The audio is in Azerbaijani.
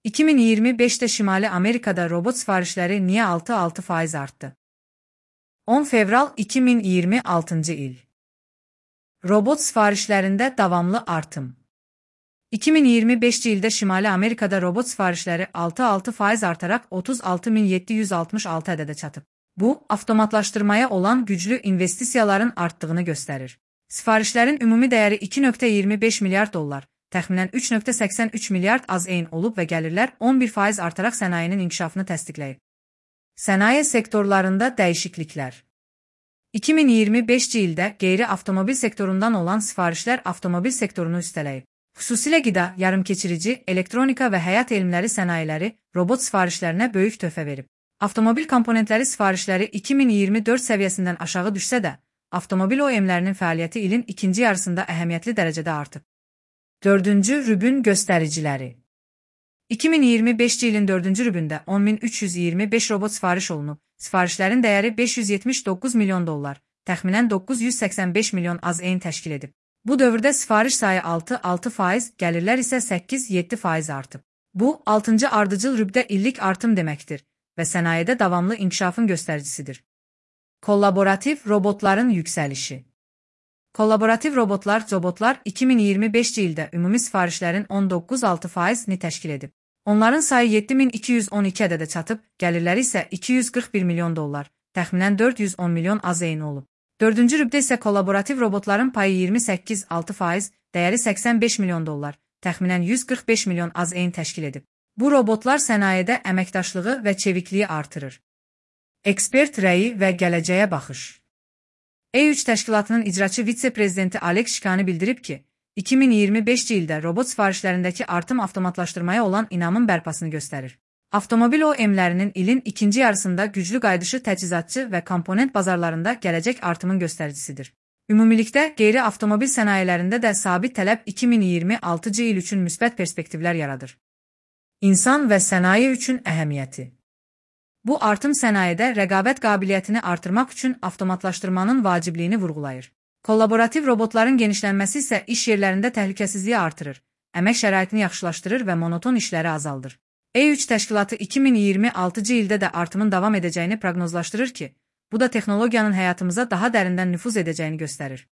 2025'te Şimali Amerika'da robot sifarişleri niye 6% arttı? 10 fevral 2026 il. Robot sifarişlərində davamlı artım. 2025 ildə Şimali Amerikada robot sifarişləri 6% artaraq 36.766 ədədə çatıb. Bu, avtomatlaşdırmaya olan güclü investisiyaların artdığını göstərir. Sifarişlərin ümumi dəyəri 2.25 milyard dollar, təxminən 3.83 milyard AZN olub və gəlirlər 11% artaraq sənayinin inkişafını təsdiqləyib. Sənaye sektorlarında dəyişikliklər. 2025 ildə qeyri-avtomobil sektorundan olan sifarişlər avtomobil sektorunu üstələyib. Xüsusilə qida, yarımkeçirici, elektronika və həyat elmləri sənayeləri robot sifarişlərinə böyük töhfə verib. Avtomobil komponentləri sifarişləri 2024 səviyyəsindən aşağı düşsə də, avtomobil OEM-lərinin fəaliyyəti ilin ikinci yarısında əhəmiyyətli dərəcədə artıb. 4-cü rübün göstəriciləri. 2025 ilin 4-cü rübündə 10.325 robot sifariş olunub. Sifarişlərin dəyəri 579 milyon dollar, təxminən 985 milyon AZN təşkil edib. Bu dövrdə sifariş sayı 6%, gəlirlər isə 8-7% artıb. Bu, 6-cı ardıcıl rübdə illik artım deməkdir və sənayedə davamlı inkişafın göstəricisidir. Kollaborativ robotların yüksəlişi. Kollaborativ robotlar 2025 ildə ümumi sifarişlərin 19,6%-ni təşkil edib. Onların sayı 7212 ədədə çatıb, gəlirləri isə 241 milyon dollar, təxminən 410 milyon AZN olub. 4-cü rübdə isə kollaborativ robotların payı 28,6%, dəyəri 85 milyon dollar, təxminən 145 milyon AZN təşkil edib. Bu robotlar sənayedə əməkdaşlığı və çevikliyi artırır. Ekspert rəyi və gələcəyə baxış. E3 təşkilatının icraçı vitse-prezidenti Alex Şikani bildirib ki, 2025 ildə robot sifarişlərindəki artım avtomatlaşdırmaya olan inamın bərpasını göstərir. Avtomobil OEM-lərinin ilin ikinci yarısında güclü qayıdışı təchizatçı və komponent bazarlarında gələcək artımın göstəricisidir. Ümumilikdə, qeyri-avtomobil sənayelərində də sabit tələb 2026 il üçün müsbət perspektivlər yaradır. İnsan və sənaye üçün əhəmiyyəti. Bu artım sənayedə rəqabət qabiliyyətini artırmaq üçün avtomatlaşdırmanın vacibliyini vurğulayır. Kollaborativ robotların genişlənməsi isə iş yerlərində təhlükəsizliyi artırır, əmək şəraitini yaxşılaşdırır və monoton işləri azaldır. E3 təşkilatı 2026 ildə də artımın davam edəcəyini proqnozlaşdırır ki, bu da texnologiyanın həyatımıza daha dərindən nüfuz edəcəyini göstərir.